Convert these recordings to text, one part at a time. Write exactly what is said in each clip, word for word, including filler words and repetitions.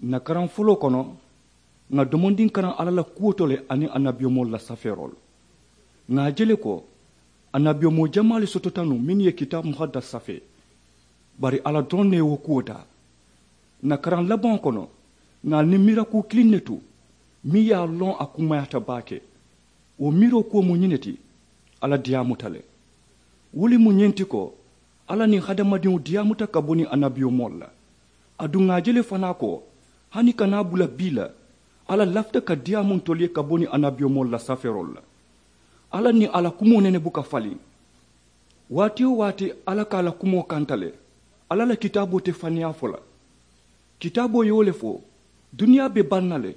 N na karaŋ foloo kono, ŋà domondiŋ karaŋ alla la kuwo to le aniŋ annabiyomoolu la safeeroo la. Ŋà a je le ko annabiyomoo jamaa le sotota nuŋ mennu ye kitaabu muhaddas safee. Bari alla doroŋ ne ye wo kuwo taa. N na karaŋ labaŋo kono, ŋà a niŋ mirakuu kiliŋ ne tu meŋ ye a loŋ a kumayaata baake. Wo miiroo kuwo mu ñiŋ ne ti, alla diyaamuta le. Wo le mu ñiŋ ti ko, alla niŋ hadamadiŋo diyaamuta ka bo niŋ annabiyomoolu la. Aduŋ ŋà a je le fanaa ko, hani ka naa bula bii la, alla lafita ka diyaamu ntolu ye ka bo niŋ annabiyomoolu la safeeroolu la. Alla niŋ a la kumoo nene buka faliŋ. Waati-wo-waati alla ka a la kumoo kanta le. Alla la kitaaboo te faniyaa fo la. Kitaaboo ye wo le fo, duniyaa be baŋ na le.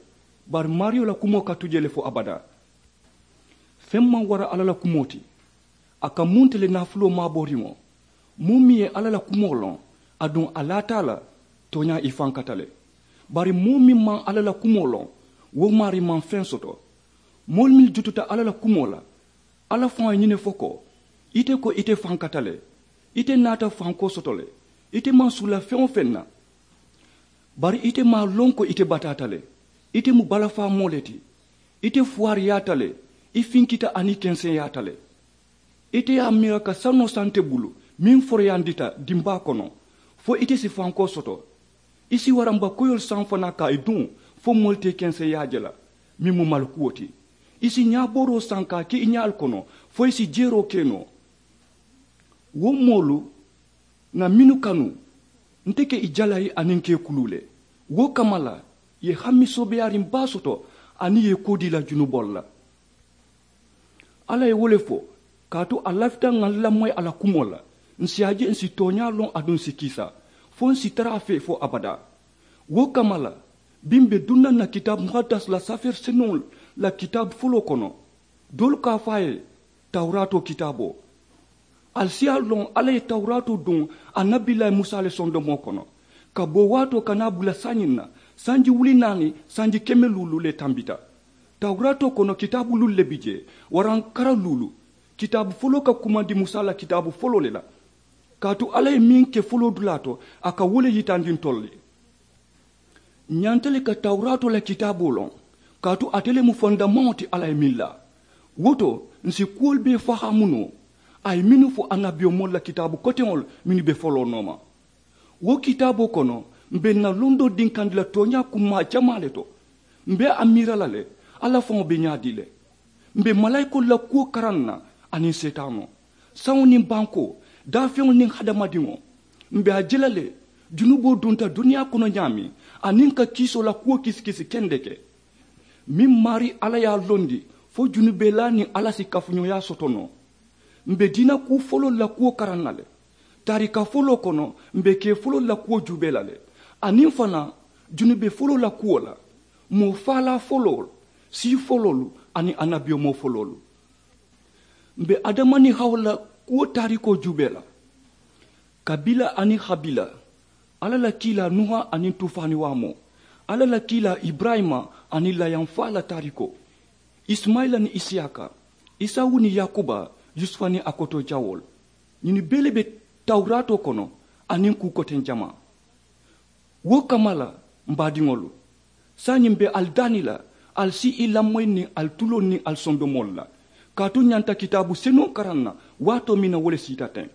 Bari maariyo la kumoo ka tu jee le fo abadaa. Feŋ maŋ wara alla la kumoo ti. A ka munta le naafuloo maabooriŋo, moo meŋ ye alla la kumoo loŋ, aduŋ a laata a la, tooñaa i fankata le. Bari moo meŋ maŋ alla la kumoo loŋ, wo maarii maŋ feŋ soto. Moolu mennu jututa alla la kumoo la, alla faŋo ye ñiŋ ne fo ko, ite ko ite fankata le. Ite naata fankoo soto le. Ite maŋ suula feŋ-wo-feŋ na. Bari ite maŋ a loŋ ko ite bataata le. Ite mu balafaa moo le ti. Ite fuwaariyaata le. I finkita aniŋ i kenseyaata le. Ite ye a miira ka sanoo saŋ ite bulu meŋ foroyandita dimbaa kono, fo ite si fankoo soto. I si waramba koyoolu saŋ fanaa ka i duŋ, fo moolu te i kenseyaa je la, meŋ mu malikuwo ti. I si ñaabooroo saŋ ka a ke i ñaalu kono, fo i si jeeroo ke noo. Wo moolu, ŋà mennu kanu, nte ke i jalayi aniŋ ke i kuluu le. Wo kamma la, i ye hami soobeyaariŋ baa soto aniŋ i ye i koodii la junuboolu la. Alla ye wo le fo, kaatu a lafita ŋà lamoyi a la kumoo la. Ǹ si a je ǹ si tooñaa loŋ aduŋ ǹ si kiisa, fo ǹ si tara a fee fo abadaa. Wo kamma la, biŋ m̀ be duŋ na ǹ na kitaabu muhaddas la safeeri senuŋo la kitaabu foloo kono. Doolu ka a fo a ye tawuraatoo kitaaboo. Ali si a loŋ alla ye tawuraatoo duŋ annabilayi musa le sondomoo kono. Ka bo waatoo ka naa bula saayiŋ na, sanji wuli naani sanji keme luulu le tambita. Tawuraatoo kono kitaabu luulu le bi jee, waraŋ kara luulu. Kitaabu foloo ka kumandi musa la kitaabu foloo le la. Kaatu alla ye meŋ ke foloo dulaa to, a ka wo le yitandi ntolu ye. Ǹ ñanta le ka tawuraatoo la kitaaboo loŋ, kaatu ate le mu fondamaŋo ti alla ye meŋ laa. Wo to, ǹ si kuwolu bee fahaamu noo a ye mennu fo annabiyomoolu la kitaabu koteŋolu mennu be foloo nooma. Wo kitaaboo kono, m̀ be ǹ na londoo dinkandi la tooñaa kummaa jamaa le to. M̀ be a miira la le, alla faŋo be ñaadii le. M̀ be malayikoolu la kuwo karaŋ na, aniŋ seetaanoo, saŋo niŋ bankoo, daafeŋolu niŋ hadamadiŋo. M̀ be a je la le, junuboo dunta duniyaa kono ñaameŋ, aniŋ ka kiisoo la kuwo kisikisi kendeke. Meŋ maarii alla ye a londi, fo junubelaa niŋ alla si kafuñooyaa soto noo. M̀ be diina kuu foloolu la kuwo karaŋ na le. Taarika foloo kono, m̀ be kee foloolu la kuwo juubee la le, aniŋ fanaa junube foloo la kuwo la, moo faalaa foloolu, sii foloolu, aniŋ annabiyomoo foloolu. M̀ be adama niŋ hawa la kuwo taarikoo juubee la, kabila aniŋ habila, alla la kiilaa nuha aniŋ tuufaani waamoo, alla la kiilaa iburayima aniŋ layaŋ faa la taarikoo, isimayila niŋ isiyaaka, isawu niŋ yaakuba, yusufa niŋ a kotoo jawoolu. Ñinnu bee le be tawuraatoo kono, aniŋ kuu koteŋ jamaa. Wo kamma la, m̀ baadiŋolu, saayiŋ m̀ be ali daani la, ali si i lamoyi niŋ ali tuloolu niŋ ali sondomoolu la, kaatu ǹ ñanta kitaabu senuŋo karaŋ na waatoo meŋ na wo le siita teŋ.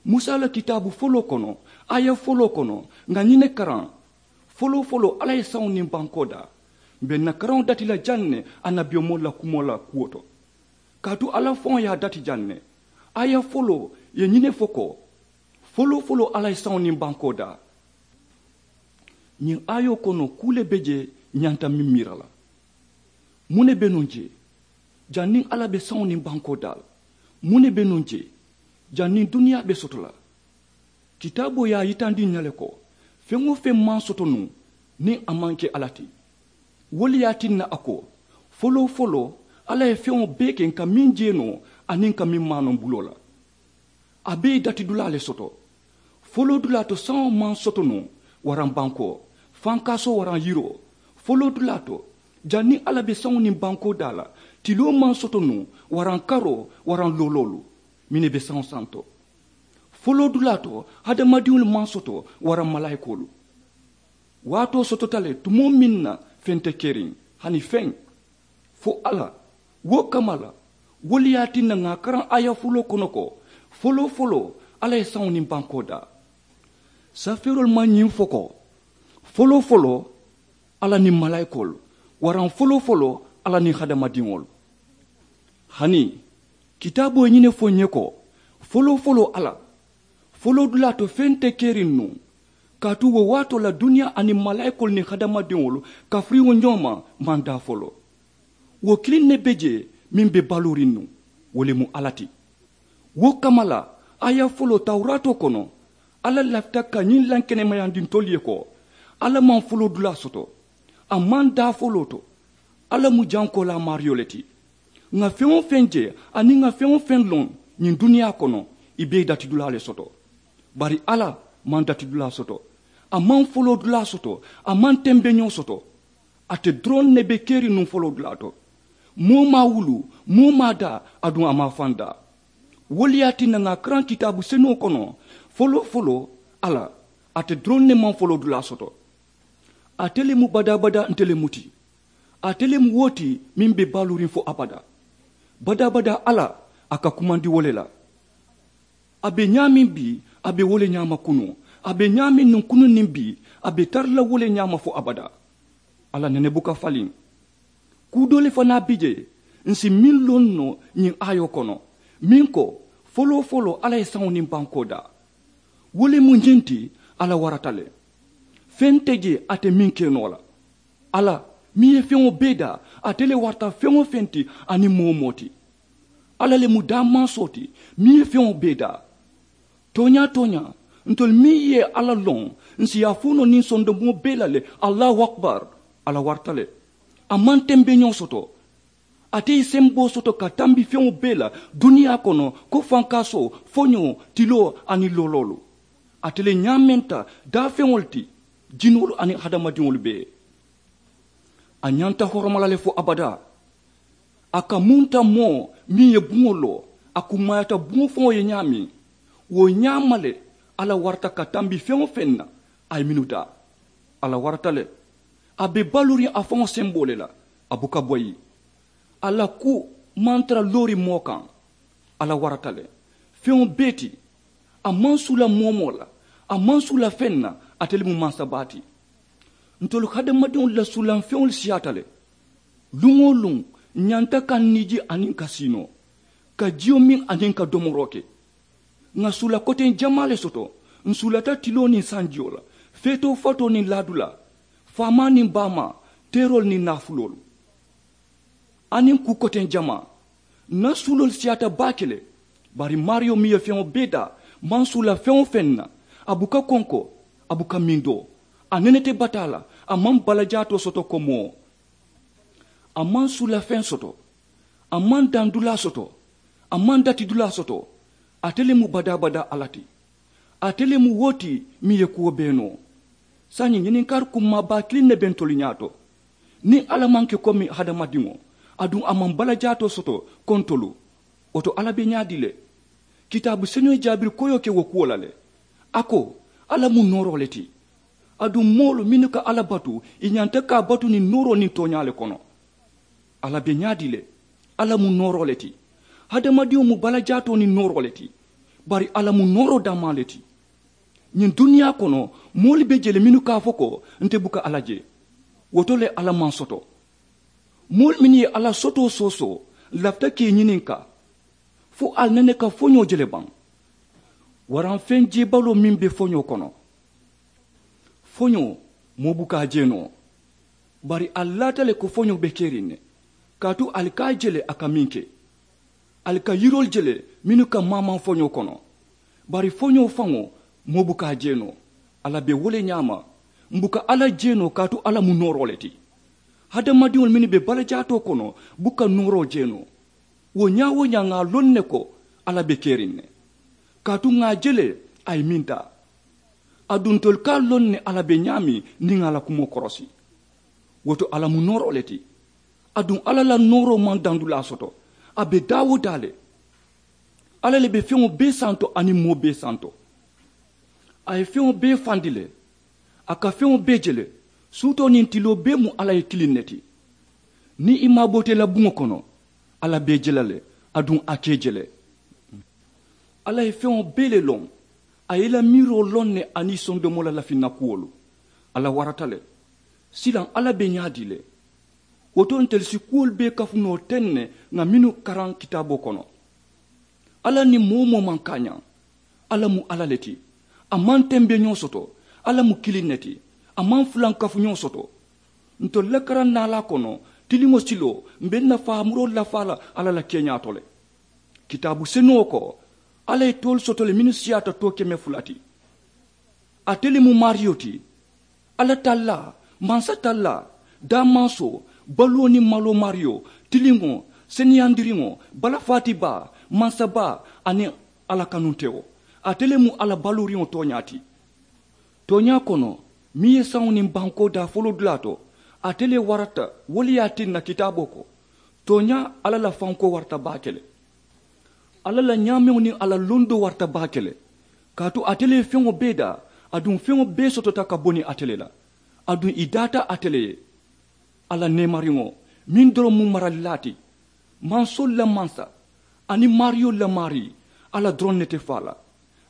Musa la kitaabu foloo kono, aaya foloo kono, ŋà ñiŋ ne karaŋ. Foloo foloo alla ye saŋo niŋ bankoo daa. M̀ be ǹ na karaŋo dati la jaŋ ne annabiyomoolu la kumoo la kuwo to, kaatu alla faŋo ye a dati jaŋ ne. Aaya foloo ye ñiŋ ne fo ko, foloo foloo alla ye saŋo niŋ bankoo daa. Ñiŋ aayoo kono kuu le be jee ǹ ñanta meŋ miira la. Muŋ ne be nuŋ jee? Janniŋ alla be saŋo niŋ bankoo daa la, muŋ ne be nuŋ jee? Janniŋ duniyaa be soto la, kitaaboo ye a yitandi ǹ ña le ko, feŋ-wo-feŋ maŋ soto nuŋ niŋ a maŋ ke alla ti. Wo le ye a tinna a ko, foloo foloo alla ye feŋo bee ke ǹ ka meŋ jee noo aniŋ ǹ ka meŋ maanoo ǹ buloo la. A be ye dati dulaa le soto. Foloo dulaa to saŋo maŋ soto nuŋ waraŋ bankoo, fankaasoo waraŋ yiroo. Foloo dulaa to, janniŋ alla be saŋo niŋ bankoo daa la, tiloo maŋ soto nuŋ waraŋ karoo waraŋ looloolu, mennu be saŋo santo. Foloo dulaa to, hadamadiŋolu maŋ soto waraŋ malaayikoolu. Waatoo sotota le tumoo meŋ na feŋ te keriŋ, hani feŋ. Fo alla. Wo kamma la, wo le ye a tinna ŋà a karaŋ aaya fuloo kono ko, foloo foloo alla ye saŋo niŋ bankoo daa. Safeeroolu maŋ ñiŋ fo ko, foloo foloo alla niŋ malaayikoolu, waraŋ foloo foloo alla niŋ hadamadiŋolu. Hani kitaaboo ye ñiŋ ne fo n ye ko, foloo foloo alla, foloo dulaa to feŋ te keriŋ nuŋ. Kaatu wo waatoo la duniyaa aniŋ malaayikoolu niŋ hadamadiŋolu kafiriŋo ñooma maŋ daa foloo. Wo kiliŋ ne be jee meŋ be baluuriŋ nuŋ, wo le mu alla ti. Wo kamma la, aaya foloo tawuraatoo kono, alla lafita ka ñiŋ lankenemayandi ntolu ye ko, alla maŋ foloo dulaa soto, a maŋ daa foloo to. Alla mu jankoolaa maariyo le ti. Ŋà feŋ-wo-feŋ je aniŋ ŋà feŋ-wo-feŋ loŋ ñiŋ duniyaa kono, ì bee ye datidulaa le soto. Bari alla maŋ datidulaa soto, a maŋ foloodulaa soto, a maŋ tembeñoo soto. Ate doroŋ ne be keriŋ nuŋ foloodulaa to. Moo maŋ a wuluu, moo maŋ a daa, aduŋ a maŋ a faŋ daa. Wo le ye a tinna ŋà a karaŋ kitaabu senuŋo kono, foloo foloo alla, ate doroŋ ne maŋ foloodulaa soto. Ate le mu badaa-badaa nte le mu ti. Ate le mu wo ti meŋ be baluuriŋ fo abadaa. Badaa-badaa alla, a ka kumandi wo le la. A be ñaameŋ bii, a be wo le ñaama kunuŋ. A be ñaameŋ nuŋ kunuŋ niŋ bii, a be tara la wo le ñaama fo abadaa. Alla nene buka faliŋ. Kuu doo le fanaa bi jee, ǹ si meŋ loŋ noo ñiŋ aayoo kono, meŋ ko, foloo foloo alla ye saŋo niŋ bankoo daa. Wo le mu ñiŋ ti, alla warata le. Feŋ te jee ate meŋ ke noo la. Alla meŋ ye feŋo bee daa, ate le warata feŋ-wo-feŋ ti aniŋ moo-wo-moo ti. Alla le mu daamaasoo ti meŋ ye feŋo bee daa. Tooñaa-tooñaa, ntolu meŋ ye alla loŋ, ǹ si a fo noo niŋ sondomoo bee la le, allahu akbar. Alla warata le. A maŋ tembeñoo soto. Ate ye semboo soto ka tambi feŋo bee la duniyaa kono, ko fankaasoo, foñoo, tiloo aniŋ looloolu. Ate le ñaamenta daafeŋolu ti, jinoolu aniŋ hadamadiŋolu bee. A ñanta horoma la le fo abadaa. A ka munta moo meŋ ye buŋo loo, a kummaayaata buŋo faŋo ye ñaameŋ. Wo ñaama le, alla warata ka tambi feŋ-wo-feŋ na, a ye mennu daa. Alla warata le. A be baluuriŋ a faŋo semboo le la, a buka boyi. A la kuu maŋ tara looriŋ moo kaŋ. Alla warata le. Feŋo bee ti. A maŋ suula moo-wo-moo la, a maŋ suula feŋ na. Ate le mu mansa baa ti. Ntolu hadamadiŋolu la suulaŋ feŋolu siyaata le. Luŋ-wo-luŋ, ǹ ñanta ka ǹ niiji aniŋ ka siinoo, ka jiyo miŋ aniŋ ka domoroo ke. Ŋà suula koteŋ jamaa le soto. Ǹ suulata tiloo niŋ sanjiyoo la, feetoo fatoo niŋ laadulaa, faamaa niŋ baamaa, teeroolu niŋ naafuloolu, aniŋ kuu koteŋ jamaa. Ǹ na suuloolu siyaata baake le. Bari maariyo meŋ ye feŋo bee daa, maŋ suula feŋ-wo-feŋ na. A buka konko, a buka mindoo. A nene te bataa la. A maŋ balajaatoo soto ko moo. A maŋ suula feŋ soto. A maŋ dandulaa soto. A maŋ datidulaa soto. Ate le mu badaa-badaa alla ti. Ate le mu wo ti meŋ ye kuwo bee noo. Saayiŋ ñininkaari kummaa baa kiliŋ ne be ntolu ñaato. Niŋ alla maŋ ke komi hadamadiŋo, aduŋ a maŋ balajaatoo soto ko ntolu, wo to alla be ñaadii le? Kitaabu senuŋ ye jaabiri koyoo ke wo kuwo la le. A ko, alla mu nooroo le ti. Aduŋ moolu mennu ka alla batu, ì ñanta ka a batu niŋ nooroo niŋ tooñaa le kono. Alla be ñaadii le? Alla mu nooroo le ti. Hadamadiŋo mu balajaatoo niŋ nooroo le ti. Bari alla mu nooroo daamaa le ti. Ñiŋ duniyaa kono, moolu be je le mennu ka a fo ko, nte buka alla je. Wo to le alla maŋ soto. Moolu mennu ye alla sotoo soosoo, ǹ lafita ka ì ñininkaa, fo ali nene ka foñoo je le baŋ? Waraŋ feŋ jeebaloo meŋ be foñoo kono? Foñoo, moo buka a je noo. Bari ali laata le ko foñoo be keriŋ ne. Kaatu ali ka a je le a ka meŋ ke. Ali ka yiroolu je le mennu ka maamaŋ foñoo kono. Bari foñoo faŋo, moo buka a je noo. Alla be wo le ñaama. M̀ buka alla je noo kaatu alla mu nooroo le ti. Hadamadiŋolu mennu be balajaatoo kono, buka nooroo je noo. Wo ñaa-wo-ñaa ŋà a loŋ ne ko, alla be keriŋ ne. Kaatu ŋà a je le, a ye meŋ taa. Aduŋ ntolu ka a loŋ ne alla be ñaameŋ niŋ ŋà a la kumoo korosi. Wo to alla mu nooroo le ti. Aduŋ alla la nooroo maŋ dandulaa soto. A be daa-wo-daa le. Alla le be feŋo bee santo aniŋ moo bee santo. A ye feŋo bee fandi le. A ka feŋo bee je le. Suutoo niŋ tiloo bee mu alla ye kiliŋ ne ti. Niŋ i maaboo te i la buŋo kono, alla be i je la le. Aduŋ a ka i je le. Alla ye feŋo bee le loŋ. A ye i la miiroo loŋ ne aniŋ i sondomoo la lafinna kuwolu. Alla warata le. Silaŋ alla be ñaadii le. Wo to ntelu si kuwolu bee kafu noo teŋ ne ŋà mennu karaŋ kitaaboo kono. Alla niŋ moo-wo-moo maŋ kaañaŋ. Alla mu alla le ti. A maŋ tembeñoo soto. Alla mu kiliŋ ne ti. A maŋ fulankafuñoo soto. Ntolu la karaŋ naalaa kono, tiliŋo siloo m̀ be n na faamuroolu lafaa la alla la keeñaa to le. Kitaabu senuŋo ko, alla ye toolu soto le mennu siyaata too keme fula ti. Ate le mu maariyo ti. Alla tallaa, mansa tallaa, daamansoo, baluwo niŋ maloo maariyo, tiliŋo, seneyandiriŋo, balafaati baa, mansa baa, aniŋ alla kanuntewo. Ate le mu alla baluuriŋo tooñaa ti. Tooñaa kono, meŋ ye saŋo niŋ bankoo daa foloo dulaa to, ate le warata. Wo le ye a tinna kitaaboo ko, tooñaa alla la fankoo warata baake le. Alla la ñaameŋo niŋ a la londoo warata baake le. Kaatu ate le ye feŋo bee daa, aduŋ feŋo bee sotota ka bo niŋ ate le la. Aduŋ ì daata ate le ye. Alla neemariŋo, meŋ doroŋ mu maralilaa ti, mansoolu la mansa, aniŋ maariyolu la maarii. Alla doroŋ ne te faa la.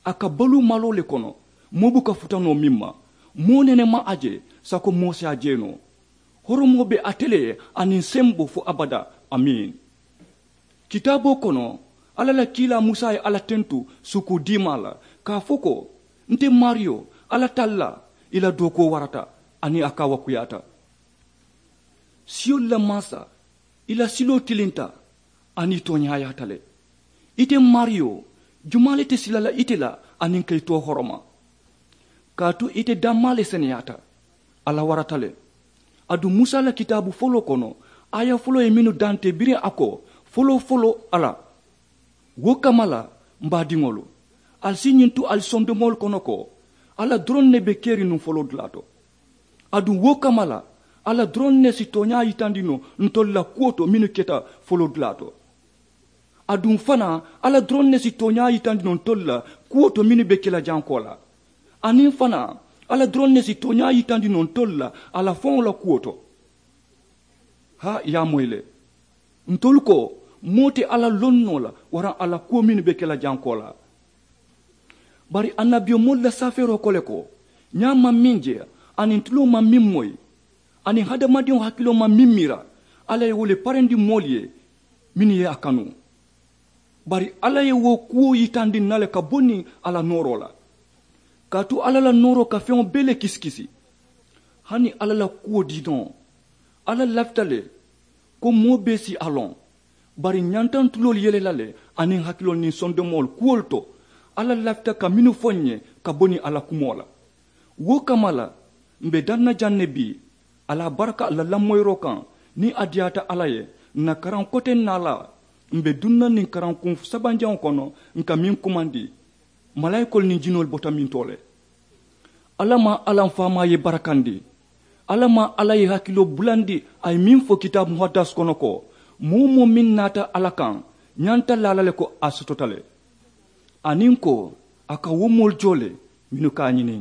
A ka baluu maloo le kono, moo buka futa noo meŋ ma. Moo nene maŋ a je, sako moo si a je noo. Horomoo be ate le ye, aniŋ sembo fo abadaa. Amiin. Kitaaboo kono, alla la kiilaa musa ye alla tentu sukuu diimaa la, ka a fo ko, nte maariyo, alla tallaa, i la dookuwo warata, aniŋ a kaawakuyaata. Siyolu la mansa, i la siloo tilinta, aniŋ i tooñaayaata le. Ite maariyo, jumaa le te sila la ite la, aniŋ ka i too horoma? Kaatu ite dammaa le seneyaata. Alla warata le. Aduŋ musa la kitaabu foloo kono, aaya foloo ye mennu dantee biriŋ a ko, foloo foloo alla. Wo kamma la, m baadiŋolu, ali si ñiŋ tu ali sondomoolu kono ko, alla doroŋ ne be keriŋ nuŋ foloo dulaa to. Aduŋ wo kamma la, alla doroŋ ne si tooñaa yitandi noo ntolu la kuwo to mennu keta foloo dulaa to. Aduŋ fanaa, alla doroŋ ne si tooñaa yitandi noo ntolu la kuwo to mennu be ke la jankoo la. Aniŋ fanaa, alla doroŋ ne si tooñaa yitandi noo ntolu la a la faŋo la kuwo to. Haa, i ye a moyi le. Ntolu ko, moo te alla loŋ noo la waraŋ a la kuwo mennu be ke la jankoo la. Bari annabiyomoolu la safeeroo ko le ko, ñaa maŋ meŋ je, aniŋ tuloo maŋ meŋ moyi, aniŋ hadamadiŋo hakiloo maŋ meŋ miira, alla ye wo le parendi moolu ye mennu ye a kanu. Bari alla ye wo kuwo yitandi n na le ka bo niŋ a la nooroo la. Kaatu alla la nooroo ka feŋo bee le kisikisi. Hani alla la kuwo diinoo, alla lafita le ko moo bee si a loŋ. Bari ñantantuloolu yele la le aniŋ hakiloolu niŋ sondomoolu kuwolu to, alla lafita ka mennu fo n ye ka bo niŋ a la kumoo la. Wo kamma la, m̀ be daŋ na jaŋ ne bii, a la baraka la lamoyiroo kaŋ. Niŋ a diyaata alla ye, ǹ na karaŋ koteŋ naalaa, m̀ be duŋ na niŋ karaŋ kuŋ sabanjaŋo kono, ǹ ka meŋ kumandi, malaayikoolu niŋ jinoolu bota mintoo le. Alla maa, alla m faamaa ye barakandi. Alla maa, alla ye hakiloo bulandi. A ye meŋ fo kitaabu muhaddas kono ko, moo-wo-moo meŋ naata alla kaŋ, ñanta laa la le ko a sotota le. Aniŋ ko, a ka wo moolu joo le mennu ka a ñini.